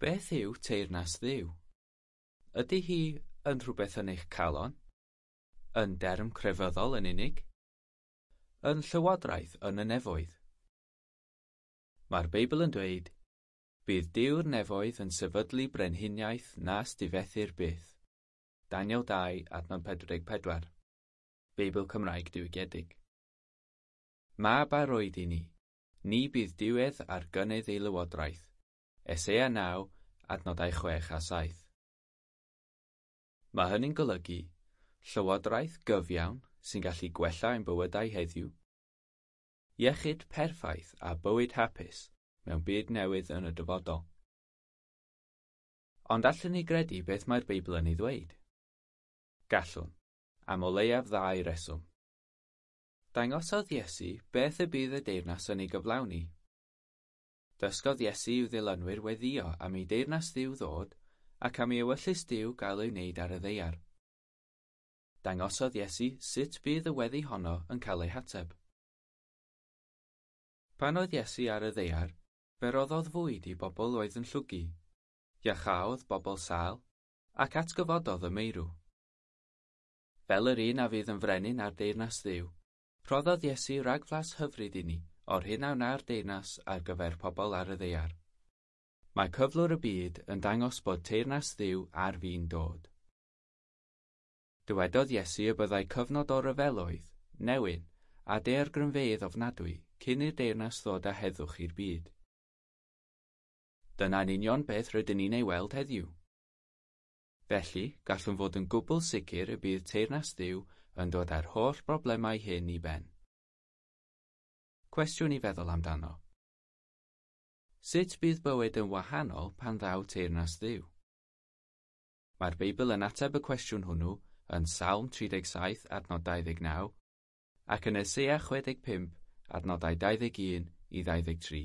Beth yw teyrnas Dduw? Ydy hi yn rhywbeth yn eich calon? Yn derm crefyddol yn unig? Yn llywodraeth yn y nefoedd? Mae'r Beibl yn dweud, bydd Duw'r nefoedd yn sefydlu brenhiniaeth nas difethir byth. Daniel 2, adnod 44. Beibl Cymraeg diwygiedig. Mab a roed i ni, ni bydd diwedd ar gynnydd ei lywodraeth. Eseia 9, adnodau 6 a 7. Mae hynny'n golygu llywodraeth gyfiawn sy'n gallu gwella ein bywydau heddiw, iechyd perffaith a bywyd hapus mewn byd newydd yn y dyfodol. Ond allwn ni gredu beth mae'r Beibl yn ei ddweud? Gallwn, am o leiaf ddau reswm. Dangosodd Iesu beth y bydd y deyrnas yn ei gyflawni. Dysgodd Iesu i'w ddilynwyr weddïo am ei deyrnas Dduw ddod ac am ei ewyllys Duw gael ei wneud ar y ddaear. Dangosodd Iesu sut bydd y weddi honno yn cael ei hateb. Pan oedd Iesu ar y ddaear, fe roddodd fwyd i bobl oedd yn llwgu, iachaodd bobl sâl, ac atgyfododd y meirw. Fel yr un a fydd yn frenin ar deyrnas Dduw, rhoddodd Iesu ragflas hyfryd i ni o'r hyn a wna'r deyrnas ar gyfer pobl ar y ddaear. Mae cyflwr y byd yn dangos bod teyrnas Dduw ar fin dod. Dywedodd Iesu y byddai cyfnod o ryfeloedd, newyn, a daeargrynfeydd ofnadwy cyn i'r deyrnas ddod â heddwch i'r byd. Dyna'n union beth rydyn ni'n ei weld heddiw. Felly, gallwn fod yn gwbl sicr y bydd teyrnas Dduw yn dod â'r holl broblemau hyn i ben. Cwestiwn i feddwl amdano. Sut bydd bywyd yn wahanol pan ddaw teyrnas Dduw? Mae'r Beibl yn ateb y cwestiwn hwnnw yn Salm 37 adnod 29 ac yn Eseia 65 adnodau 21 i 23.